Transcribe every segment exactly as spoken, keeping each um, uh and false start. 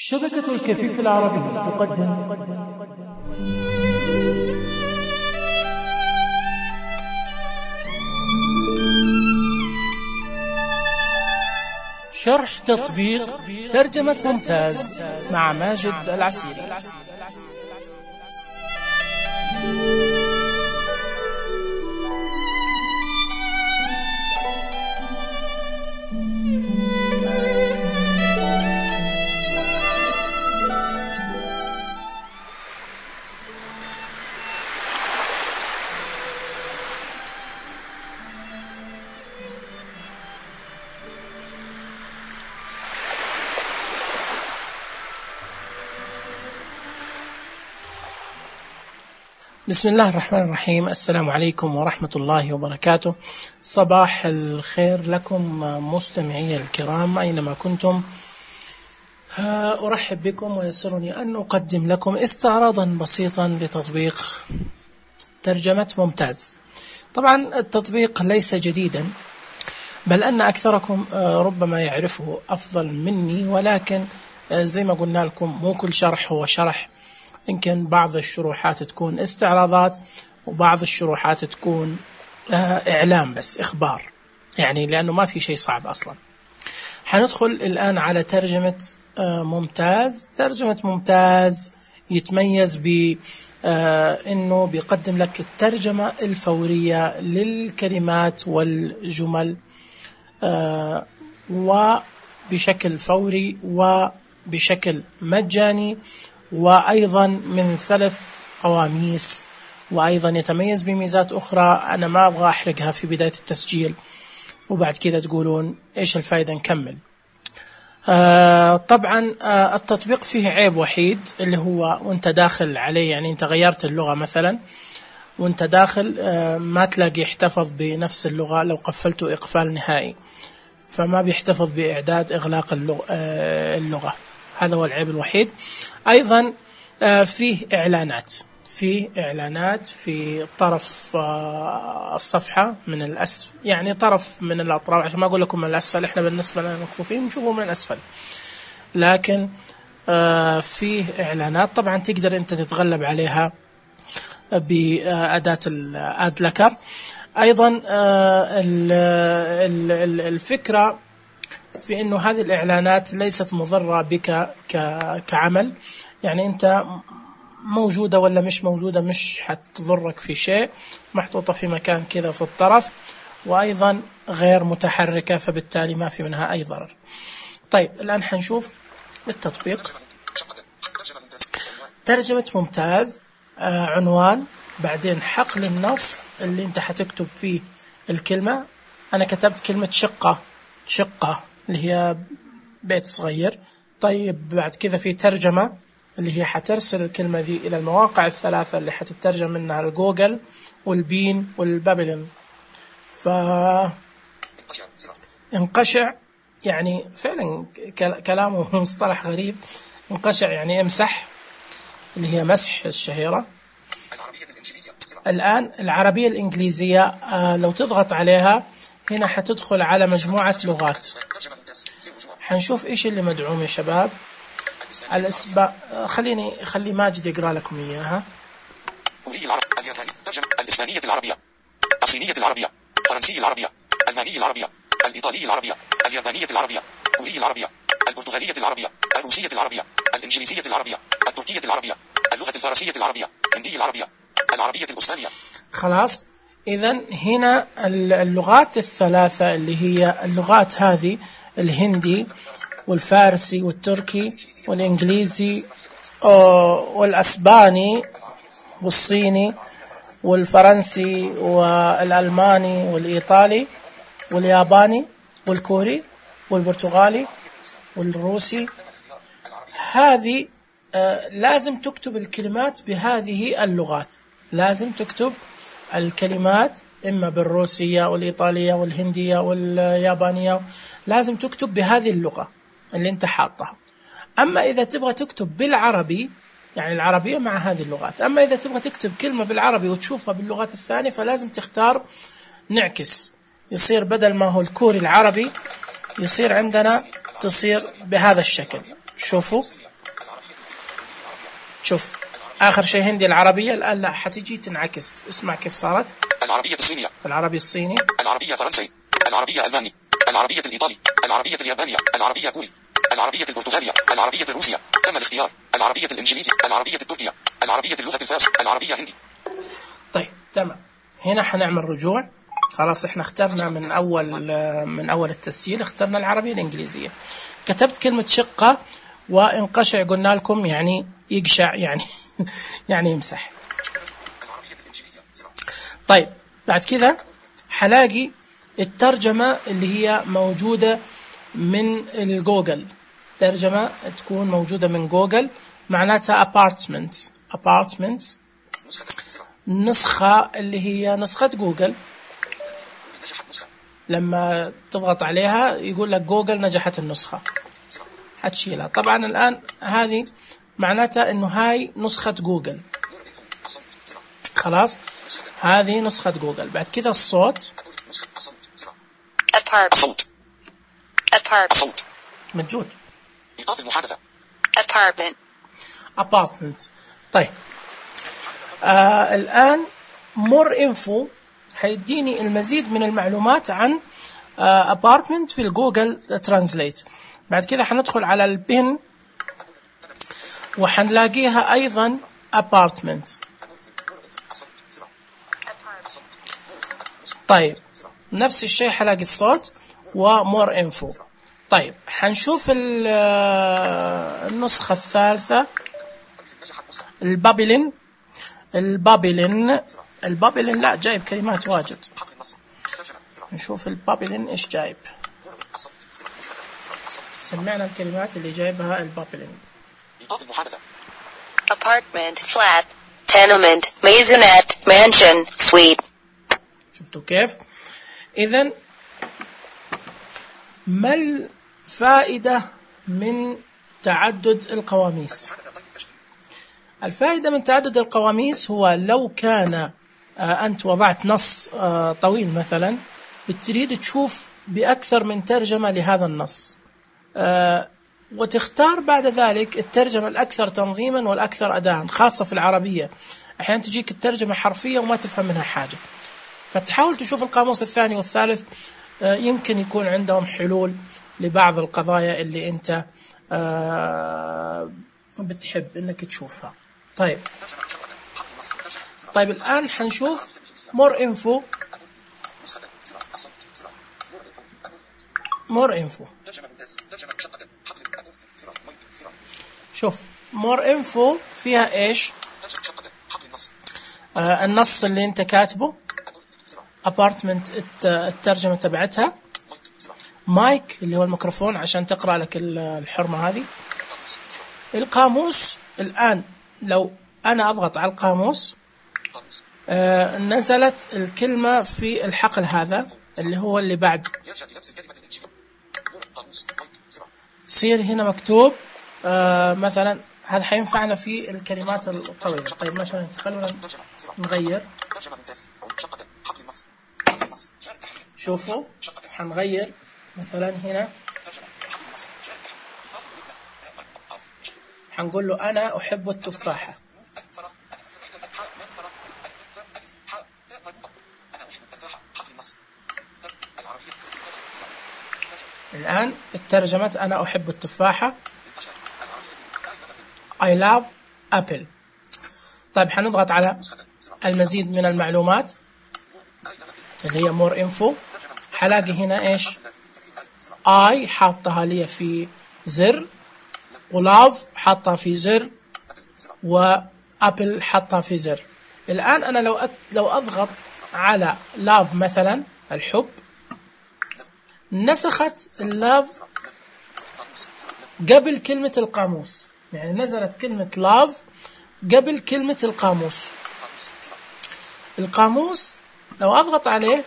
شبكة الكفيف العربية تقدم شرح تطبيق ترجمة ممتاز مع ماجد العسيري. بسم الله الرحمن الرحيم. السلام عليكم ورحمة الله وبركاته. صباح الخير لكم مستمعي الكرام أينما كنتم. أرحب بكم ويسرني أن أقدم لكم استعراضا بسيطا لتطبيق ترجمة ممتاز. طبعا التطبيق ليس جديدا، بل أن أكثركم ربما يعرفه أفضل مني، ولكن زي ما قلنا لكم مو كل شرح هو شرح. يمكن بعض الشروحات تكون استعراضات وبعض الشروحات تكون إعلام بس إخبار، يعني لأنه ما في شيء صعب أصلا. حندخل الآن على ترجمة ممتاز. ترجمة ممتاز يتميز بأنه بيقدم لك الترجمة الفورية للكلمات والجمل وبشكل فوري وبشكل مجاني، وأيضا من ثلاث قواميس، وأيضا يتميز بميزات أخرى أنا ما أبغى أحرقها في بداية التسجيل وبعد كده تقولون إيش الفائدة نكمل. آه طبعا آه التطبيق فيه عيب وحيد اللي هو وانت داخل عليه، يعني انت غيرت اللغة مثلا وانت داخل آه ما تلاقي يحتفظ بنفس اللغة لو قفلته إقفال نهائي، فما بيحتفظ بإعداد إغلاق اللغة, آه اللغة. هذا هو العيب الوحيد. أيضا فيه إعلانات فيه إعلانات في طرف الصفحة من الأسفل، يعني طرف من الأطراف، عشان ما أقول لكم من الأسفل، إحنا بالنسبة لنا مكفوفين نشوفه من الأسفل، لكن فيه إعلانات. طبعا تقدر أنت تتغلب عليها بأداة الآد لكر. أيضا الفكرة في أنه هذه الإعلانات ليست مضرة بك كعمل، يعني أنت موجودة ولا مش موجودة مش حتضرك في شيء، محطوطة في مكان كذا في الطرف، وأيضا غير متحركة، فبالتالي ما في منها أي ضرر. طيب الآن حنشوف التطبيق. ترجمة ممتاز، آه عنوان، بعدين حقل النص اللي أنت حتكتب فيه الكلمة. أنا كتبت كلمة شقة شقة اللي هي بيت صغير. طيب بعد كذا في ترجمة اللي هي حترسل الكلمة دي إلى المواقع الثلاثة اللي حتترجم منها الجوجل والبين والبابلين. فانقشع يعني فعلا كلامه مصطلح غريب. انقشع يعني امسح، اللي هي مسح الشهيرة. الآن العربية الإنجليزية آه لو تضغط عليها هنا حتدخل على مجموعة لغات. حنشوف إيش اللي مدعوم يا شباب. الأسباب خليني خلي ماجد يقرأ لكم إياها. الإسبانية العربية، الصينية العربية، الفرنسية العربية، الألمانية العربية، الإيطالية العربية، اليابانية العربية، الكورية العربية، البرتغالية العربية، الروسية العربية، الإنجليزية العربية، التركية العربية، اللغة الفارسية العربية، الهندية العربية، العربية الأسبانية. خلاص، إذن هنا اللغات الثلاثة اللي هي اللغات هذه الهندي والفارسي والتركي والإنجليزي والأسباني والصيني والفرنسي والألماني والإيطالي والياباني والكوري والبرتغالي والروسي. هذه لازم تكتب الكلمات بهذه اللغات، لازم تكتب الكلمات إما بالروسية والإيطالية والهندية واليابانية، لازم تكتب بهذه اللغة اللي انت حاطها. أما إذا تبغى تكتب بالعربي، يعني العربية مع هذه اللغات، أما إذا تبغى تكتب كلمة بالعربي وتشوفها باللغات الثانية فلازم تختار نعكس، يصير بدل ما هو الكوري العربي يصير عندنا تصير بهذا الشكل. شوفوا شوف آخر شيء هندي العربية، الآن لا حتيجي تنعكس. اسمع كيف صارت. العربية الصينية، العربي الصيني، العربية فرنسي، العربية ألماني، العربية الإيطالي، العربية اليابانية، العربية كوري، العربية البرتغالية، العربية الروسية. تم الاختيار. العربية الإنجليزية، العربية التركية، العربية اللغة الفارسية، العربية هندي. طيب تمام. هنا حنعمل رجوع. خلاص احنا اخترنا من أول من أول التسجيل اخترنا العربية الإنجليزية. كتبت كلمة شقة وانقشع، قلنا لكم يعني يقشع، يعني يعني يمسح. طيب بعد كذا حلاقي الترجمة اللي هي موجودة من الجوجل، ترجمة تكون موجودة من جوجل معناتها apartment apartment نسخة اللي هي نسخة جوجل. لما تضغط عليها يقول لك جوجل نجحت النسخة، حتشيلها. طبعا الآن هذه معناتها إنه هاي نسخة جوجل. خلاص هذه نسخة جوجل. بعد كذا الصوت الصوت الصوت موجود. إيقاف المحادثة. apartment apartment. طيب آه الآن more info حيديني المزيد من المعلومات عن آه apartment في الجوجل ترانزليت. بعد كذا حندخل على البن وحنلاقيها أيضا apartment. طيب نفس الشيء حلاقي الصوت ومور انفو. طيب حنشوف النسخة الثالثة البابلين. البابلين البابلين لا جايب كلمات واجد. نشوف البابلين ايش جايب. سمعنا الكلمات اللي جايبها البابلين. إيقاف المحادثة. apartment flat tenement maisonette mansion suite. شفتوا كيف؟ إذن ما الفائدة من تعدد القواميس؟ الفائدة من تعدد القواميس هو لو كان أنت وضعت نص طويل مثلا بتريد تشوف بأكثر من ترجمة لهذا النص، وتختار بعد ذلك الترجمة الأكثر تنظيما والأكثر أداء، خاصة في العربية أحيانا تجيك الترجمة حرفية وما تفهم منها حاجة، فتحاول تشوف القاموس الثاني والثالث، يمكن يكون عندهم حلول لبعض القضايا اللي أنت بتحب أنك تشوفها. طيب طيب الآن حنشوف more info more info. شوف more info فيها إيش؟ آه النص اللي أنت كاتبه، apartment الترجمة تبعتها، مايك اللي هو الميكروفون عشان تقرأ لك الحرمة هذه، القاموس. الآن لو أنا أضغط على القاموس آه نزلت الكلمة في الحقل هذا اللي هو اللي بعد، يصير هنا مكتوب آه مثلا هذا حينفعنا في الكلمات الطويلة. طيب مثلا خلونا نغير، شوفوا حنغير مثلا هنا حنقول له أنا أحب التفاحة. الآن الترجمة أنا أحب التفاحة I love apple. طيب حنضغط على المزيد من المعلومات اللي هي more info. حلاقي هنا إيش I حاطها لي في زر، ولاف حاطها في زر، وأبل حاطها في زر. الآن أنا لو أت... لو أضغط على لاف مثلا الحب، نسخت اللاف قبل كلمة القاموس، يعني نزلت كلمة لاف قبل كلمة القاموس. القاموس لو أضغط عليه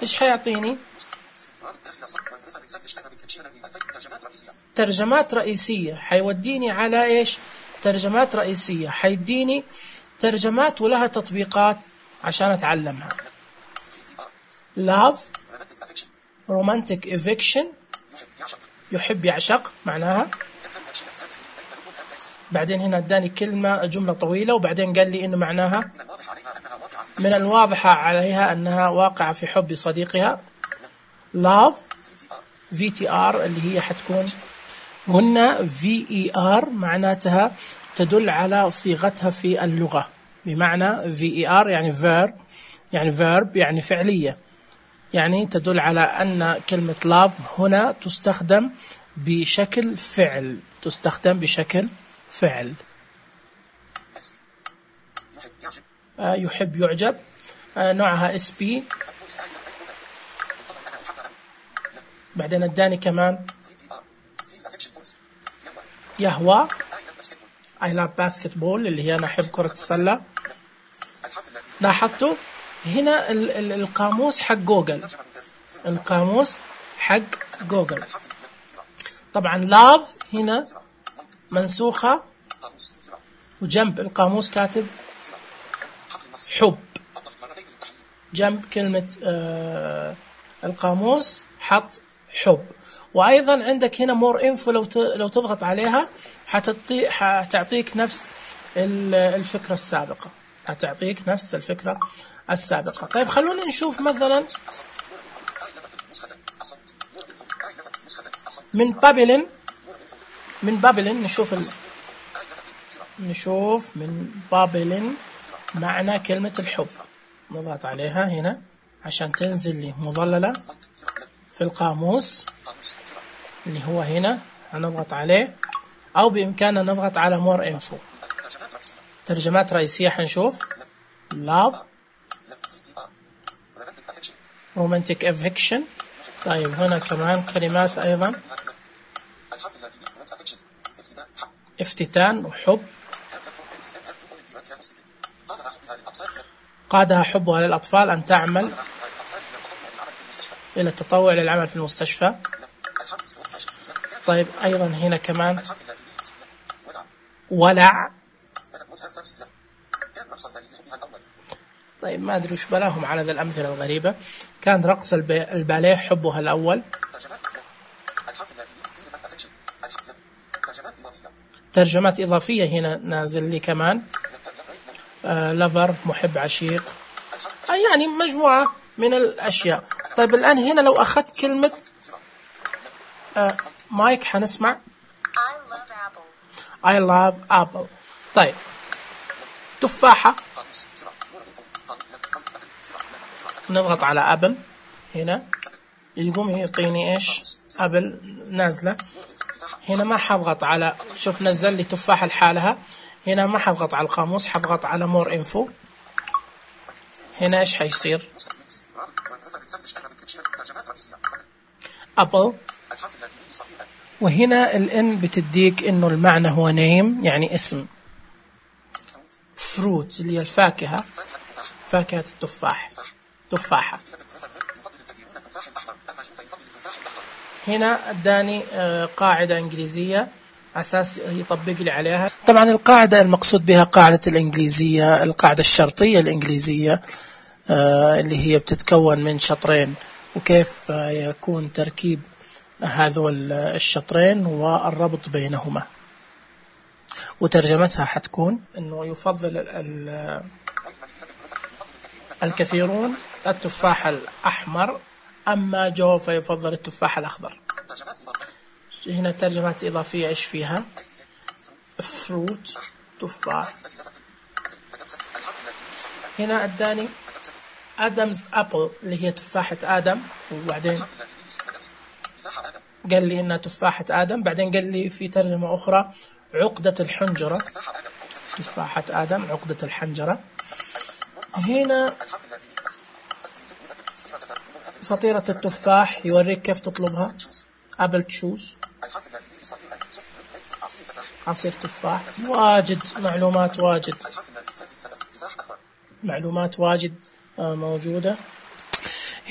إيش حيعطيني؟ ترجمات رئيسية. حيوديني على إيش؟ ترجمات رئيسية. حيديني ترجمات ولها تطبيقات عشان أتعلمها. love romantic eviction يحب يعشق معناها. بعدين هنا اداني كلمة جملة طويلة، وبعدين قال لي انه معناها من الواضحة عليها انها واقعة في حب صديقها. love في تي آر اللي هي حتكون قلنا في إي آر معناتها تدل على صيغتها في اللغة، بمعنى في إي آر يعني verb يعني verb يعني فعلية، يعني تدل على أن كلمة love هنا تستخدم بشكل فعل، تستخدم بشكل فعل. آه يحب يعجب، آه نوعها اس بي. بعدين اداني كمان يهوى I love basketball اللي هي أنا أحب كرة السلة. لاحظتوا هنا ال ال القاموس حق جوجل، القاموس حق جوجل. طبعا love هنا منسوخة وجنب القاموس كاتب حب، جنب كلمة آه القاموس حط حب. وأيضا عندك هنا more info، لو لو تضغط عليها حتعطي حتعطيك نفس الفكرة السابقة، حتعطيك نفس الفكرة السابقة. طيب خلونا نشوف مثلا من بابلين، من بابلين نشوف ال... نشوف من بابلين معنى كلمة الحب. نضغط عليها هنا عشان تنزل لي مظللة في القاموس اللي هو هنا، هنضغط عليه، أو بإمكاننا نضغط على more info. ترجمات رئيسية حنشوف love romantic affection. طيب هنا كمان كلمات أيضا افتتان وحب. قادها حبها للأطفال أن تعمل إلى التطوع للعمل في المستشفى. طيب أيضا هنا كمان ولع. طيب ما أدري وش بلاهم على ذا الأمثلة الغريبة. كان رقص الباليه حبها الأول. ترجمات إضافية هنا نازل لي كمان آه لفر محب عشيق، آه يعني مجموعة من الأشياء. طيب الآن هنا لو أخذت كلمة آه مايك حنسمع I love apple. طيب تفاحة، نضغط على أبل هنا يقوم يعطيني إيش أبل نازلة. هنا ما حضغط على، شوف نزل لي تفاحة لحالها. هنا ما حضغط على القاموس، حضغط على مور انفو. هنا إيش حيصير أبل، وهنا الان بتديك انه المعنى هو نيم يعني اسم. فروت اللي هي الفاكهة، فاكهة التفاح، تفاحة. هنا اداني قاعدة انجليزية اساس يطبق لي عليها. طبعا القاعدة المقصود بها قاعدة الانجليزية، القاعدة الشرطية الانجليزية اللي هي بتتكون من شطرين، وكيف يكون تركيب هذول الشطرين والربط بينهما. وترجمتها حتكون انه يفضل الكثيرون التفاح الاحمر، اما جو فيفضل التفاح الاخضر. هنا ترجمات اضافية ايش فيها؟ فروت تفاح. هنا اداني ادمز ابل اللي هي تفاحة ادم، وبعدين قال لي انها تفاحة ادم. بعدين قال لي في ترجمة اخرى عقدة الحنجرة، تفاحة ادم عقدة الحنجرة. هنا سطيرة التفاح يوريك كيف تطلبها، ابل تشوز، عصير تفاح. واجد معلومات، واجد معلومات واجد موجودة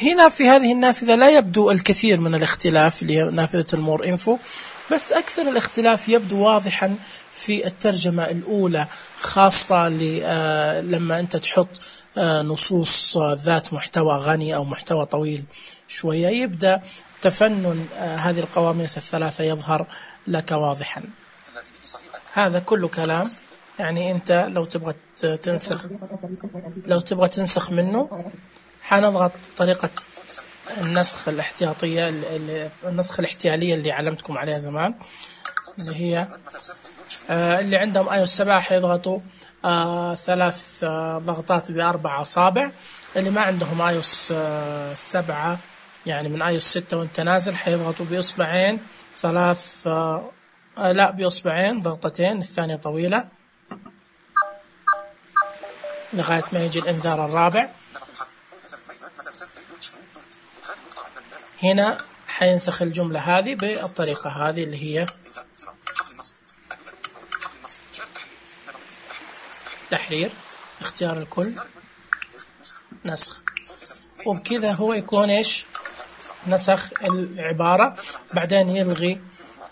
هنا في هذه النافذة. لا يبدو الكثير من الاختلاف اللي هي نافذة المور انفو، بس أكثر الاختلاف يبدو واضحا في الترجمة الأولى، خاصة لما أنت تحط نصوص ذات محتوى غني أو محتوى طويل شوية، يبدأ تفنن هذه القواميس الثلاثة يظهر لك واضحا. هذا كله كلام. يعني أنت لو تبغى تنسخ لو تبغى تنسخ منه حنضغط طريقة النسخ الاحتياطية، النسخ الاحتيالية اللي علمتكم عليها زمان، اللي هي آه اللي عندهم اي او اس سبعة حيضغطوا آه ثلاث آه ضغطات بأربع أصابع. اللي ما عندهم اي او اس سبعة يعني من اي او اس ستة وانت نازل حيضغطوا بإصبعين ثلاث آه آه لا بإصبعين ضغطتين، الثانية طويلة لغاية ما يجي الإنذار الرابع. هنا حينسخ الجملة هذه بالطريقة هذه اللي هي تحرير، اختيار الكل، نسخ، وبكذا هو يكون ايش نسخ العبارة، بعدين يلغي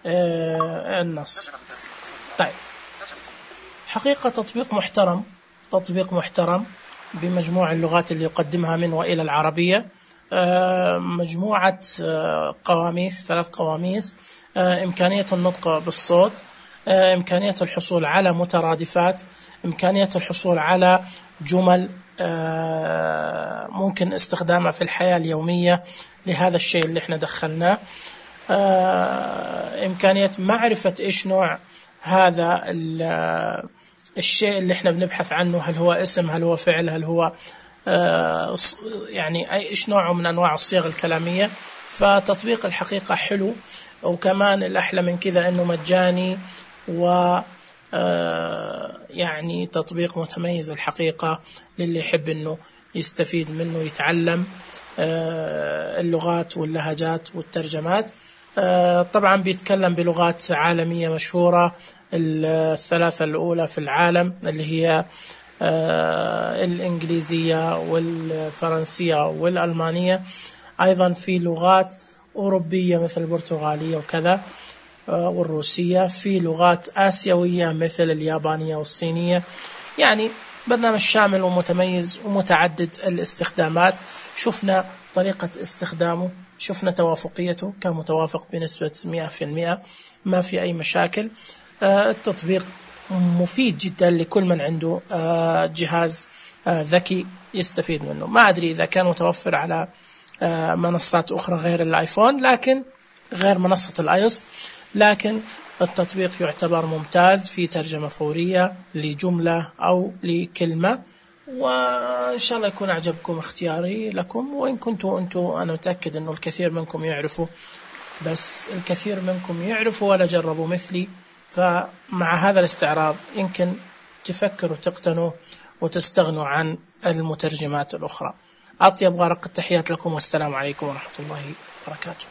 آه النص. طيب حقيقة تطبيق محترم، تطبيق محترم بمجموع اللغات اللي يقدمها من وإلى العربية، آه مجموعة آه قواميس، ثلاث قواميس، آه إمكانية النطق بالصوت، آه إمكانية الحصول على مترادفات، إمكانية الحصول على جمل آه ممكن استخدامها في الحياة اليومية لهذا الشيء اللي احنا دخلناه، آه إمكانية معرفة إيش نوع هذا الشيء اللي احنا بنبحث عنه، هل هو اسم، هل هو فعل، هل هو آه يعني أي إيش نوعه من أنواع الصيغ الكلامية. فتطبيق الحقيقة حلو، وكمان الأحلى من كذا أنه مجاني، و آه يعني تطبيق متميز الحقيقة للي يحب أنه يستفيد منه، يتعلم آه اللغات واللهجات والترجمات. آه طبعا بيتكلم بلغات عالمية مشهورة، الثلاثة الأولى في العالم اللي هي آه الإنجليزية والفرنسية والألمانية، أيضا في لغات أوروبية مثل البرتغالية وكذا والروسية، في لغات آسيوية مثل اليابانية والصينية. يعني برنامج شامل ومتميز ومتعدد الاستخدامات. شفنا طريقة استخدامه، شفنا توافقيته، كان متوافق بنسبة مئة في المئة، ما في أي مشاكل. التطبيق مفيد جدا لكل من عنده جهاز ذكي يستفيد منه. ما أدري إذا كان متوفر على منصات أخرى غير الآيفون، لكن غير منصة الآيوس، لكن التطبيق يعتبر ممتاز في ترجمة فورية لجملة أو لكلمة. وإن شاء الله يكون أعجبكم اختياري لكم، وإن كنتوا أنتوا أنا متأكد أنه الكثير منكم يعرفوا، بس الكثير منكم يعرفوا ولا جربوا مثلي. فمع هذا الاستعراض يمكن تفكروا تقتنوا وتستغنوا عن المترجمات الأخرى. أطيب غرق التحيات لكم، والسلام عليكم ورحمة الله وبركاته.